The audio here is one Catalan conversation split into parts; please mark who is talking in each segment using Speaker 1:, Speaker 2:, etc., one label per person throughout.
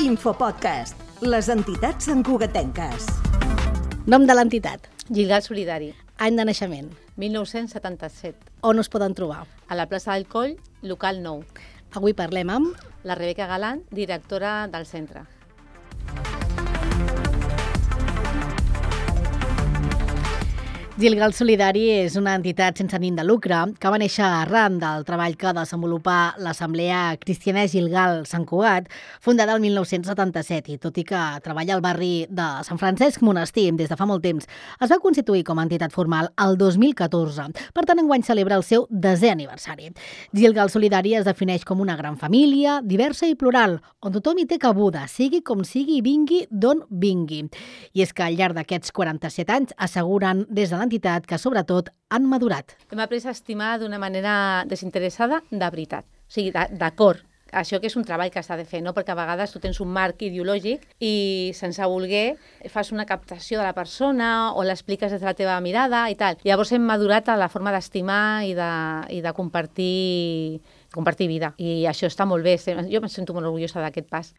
Speaker 1: Infopodcast, les entitats santcugatenques.
Speaker 2: Nom de l'entitat.
Speaker 3: Gilgal Solidari.
Speaker 2: Any de naixement.
Speaker 3: 1977.
Speaker 2: On us poden trobar?
Speaker 3: A la plaça del Coll, local 9.
Speaker 2: Avui parlem amb...
Speaker 3: La Rebeca Galán, directora del centre.
Speaker 2: Gilgal Solidari és una entitat sense ànim de lucre que va néixer arran del treball que desenvolupà l'Assemblea Cristiana Gilgal Sant Cugat, fundada el 1977, i tot i que treballa al barri de Sant Francesc Monestir des de fa molt temps, es va constituir com a entitat formal el 2014. Per tant, enguany celebra el seu 10è aniversari. Gilgal Solidari es defineix com una gran família, diversa i plural, on tothom hi té cabuda, sigui com sigui i vingui d'on vingui. I és que al llarg d'aquests 47 anys asseguren des de l'entitat que, sobretot, han madurat.
Speaker 3: Hem après a estimar d'una manera desinteressada de veritat. O sigui, d'acord. Això que és un treball que s'ha de fer, no? Perquè a vegades tu tens un marc ideològic i sense voler fas una captació de la persona o l'expliques des de la teva mirada i tal. Llavors hem madurat a la forma d'estimar i de compartir vida. I això està molt bé. Jo em sento molt orgullosa d'aquest pas.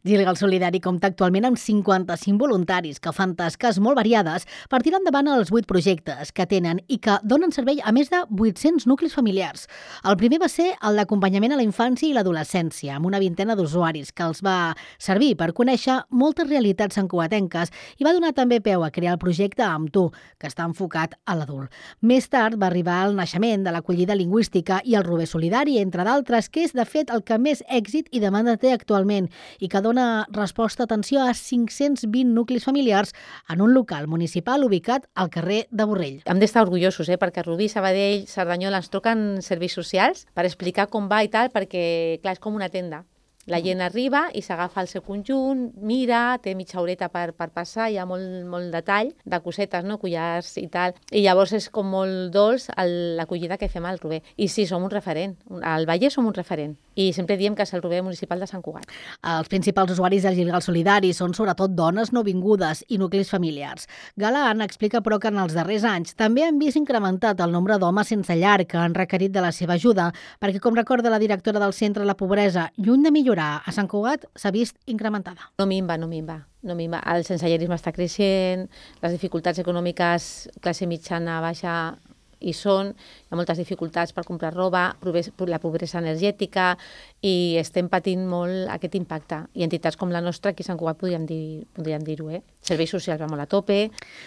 Speaker 2: Gilgal Solidari compta actualment amb 55 voluntaris que fan tasques molt variades per tirar endavant els 8 projectes que tenen i que donen servei a més de 800 nuclis familiars. El primer va ser el d'acompanyament a la infància i l'adolescència, amb una vintena d'usuaris que els va servir per conèixer moltes realitats santcugatenques i va donar també peu a crear el projecte Amb tu, que està enfocat a l'adult. Més tard va arribar el naixement de l'acollida lingüística i el Rober Solidari, entre d'altres, que és, de fet, el que més èxit i demanda té actualment i que dona resposta, atenció, a 520 nuclis familiars en un local municipal ubicat al carrer de Borrell.
Speaker 3: Hem d'estar orgullosos, perquè Rubí, Sabadell, Cerdanyola ens truquen serveis socials per explicar com va i tal, perquè, clar, és com una tenda. La gent arriba i s'agafa el seu conjunt, mira, té mitja horeta per passar, hi ha molt detall de cosetes, no? Collars i tal. I llavors és com molt dolç l'acollida que fem al Rober. I sí, som un referent. Al Vallès som un referent. I sempre diem que és el Rober municipal de Sant Cugat.
Speaker 2: Els principals usuaris del Gilgal Solidari són sobretot dones nouvingudes i nuclis familiars. Galán explica, però, que en els darrers anys també han vist incrementat el nombre d'homes sense llar que han requerit de la seva ajuda, perquè, com recorda la directora del centre, la pobresa, lluny de millorar a Sant Cugat, s'ha vist incrementada.
Speaker 3: No minva. El sensellarisme està creixent, les dificultats econòmiques, classe mitjana, baixa, hi són, hi ha moltes dificultats per comprar roba, la pobresa energètica, i estem patint molt aquest impacte. I entitats com la nostra, aquí a Sant Cugat podríem dir-ho. Serveis socials va molt a tope.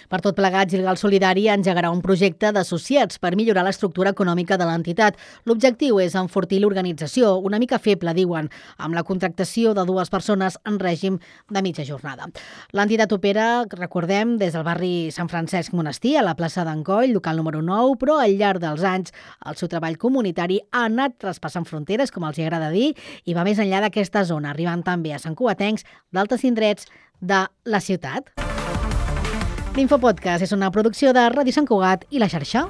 Speaker 2: Per tot plegat, Gilgal Solidari engegarà un projecte d'associats per millorar l'estructura econòmica de l'entitat. L'objectiu és enfortir l'organització, una mica feble, diuen, amb la contractació de 2 persones en règim de mitja jornada. L'entitat opera, recordem, des del barri Sant Francesc Monestir, a la plaça d'en Coll, local número 9, però al llarg dels anys el seu treball comunitari ha anat traspassant fronteres, com els agrada dir, i va més enllà d'aquesta zona, arribant també a santcugatencs d'altres indrets de la ciutat. L'Infopodcast és una producció de Ràdio Sant Cugat i La Xarxa.